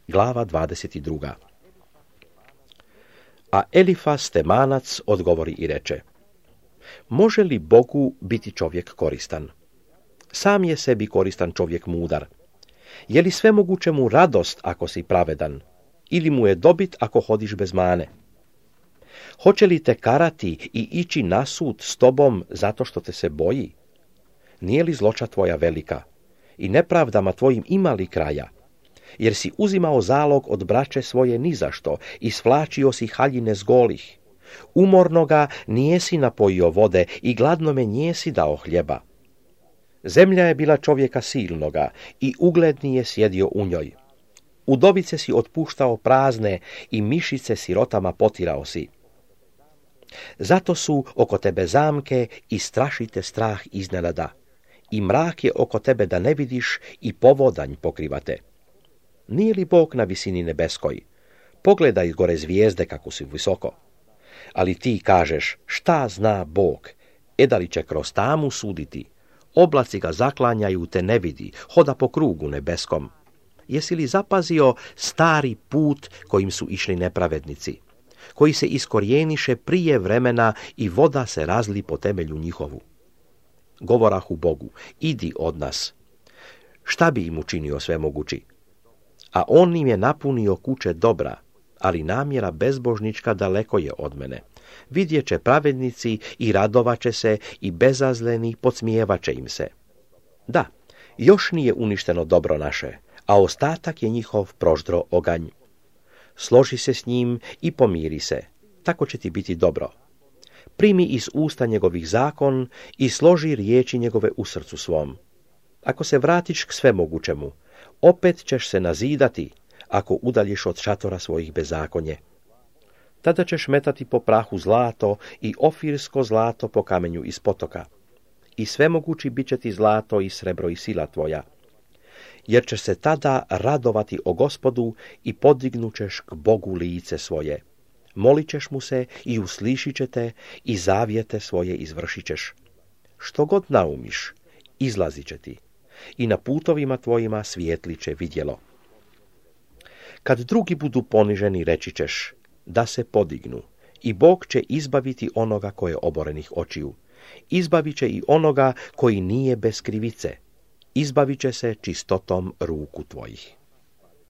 glava 22. A Elifas Temanac odgovori i reče: može li Bogu biti čovjek koristan? Sam je sebi koristan čovjek mudar. Je li svemoguće mu radost ako si pravedan? Ili mu je dobit ako hodiš bez mane? Hoće li te karati i ići na sud s tobom zato što te se boji? Nije li zloća tvoja velika? I nepravdama tvojim ima li kraja? Jer si uzimao zalog od braće svoje nizašto i svlačio si haljine s golih. Umornoga nijesi napojio vode i gladnome nijesi dao hljeba. Zemlja je bila čovjeka silnoga i ugledni je sjedio u njoj. Udovice si otpuštao prazne i mišice sirotama potirao si. Zato su oko tebe zamke i strašite strah iznenada. I mrak je oko tebe da ne vidiš i povodanj pokrivate. Nije li Bog na visini nebeskoj? Pogledaj gore zvijezde kako su visoko. Ali ti kažeš, šta zna Bog? Da li će kroz tamu suditi? Oblaci ga zaklanjaju, te ne vidi, hoda po krugu nebeskom. Jesi li zapazio stari put kojim su išli nepravednici, koji se iskorijeniše prije vremena i voda se razli po temelju njihovu? Govorahu Bogu, idi od nas. Šta bi im učinio svemogući? A on im je napunio kuće dobra, ali namjera bezbožnička daleko je od mene. Vidjet će pravednici i radovaće se i bezazleni podsmijevaće im se. Da, još nije uništeno dobro naše, a ostatak je njihov proždro oganj. Složi se s njim i pomiri se, tako će ti biti dobro. Primi iz usta njegovih zakon i složi riječi njegove u srcu svom. Ako se vratiš k svemogućemu, opet ćeš se nazidati ako udaljiš od šatora svojih bezakonje. Tada ćeš metati po prahu zlato i ofirsko zlato po kamenju iz potoka. I svemogući bit će ti zlato i srebro i sila tvoja. Jer ćeš se tada radovati o Gospodu i podignućeš k Bogu lice svoje. Molit ćeš mu se i uslišit će te i zavjete svoje izvršit ćeš. Što god naumiš, izlazit će ti i na putovima tvojima svijetli će vidjelo. Kad drugi budu poniženi, reći ćeš da se podignu i Bog će izbaviti onoga koje je oborenih očiju. Izbavit će i onoga koji nije bez krivice. Izbavit će se čistotom ruku tvojih.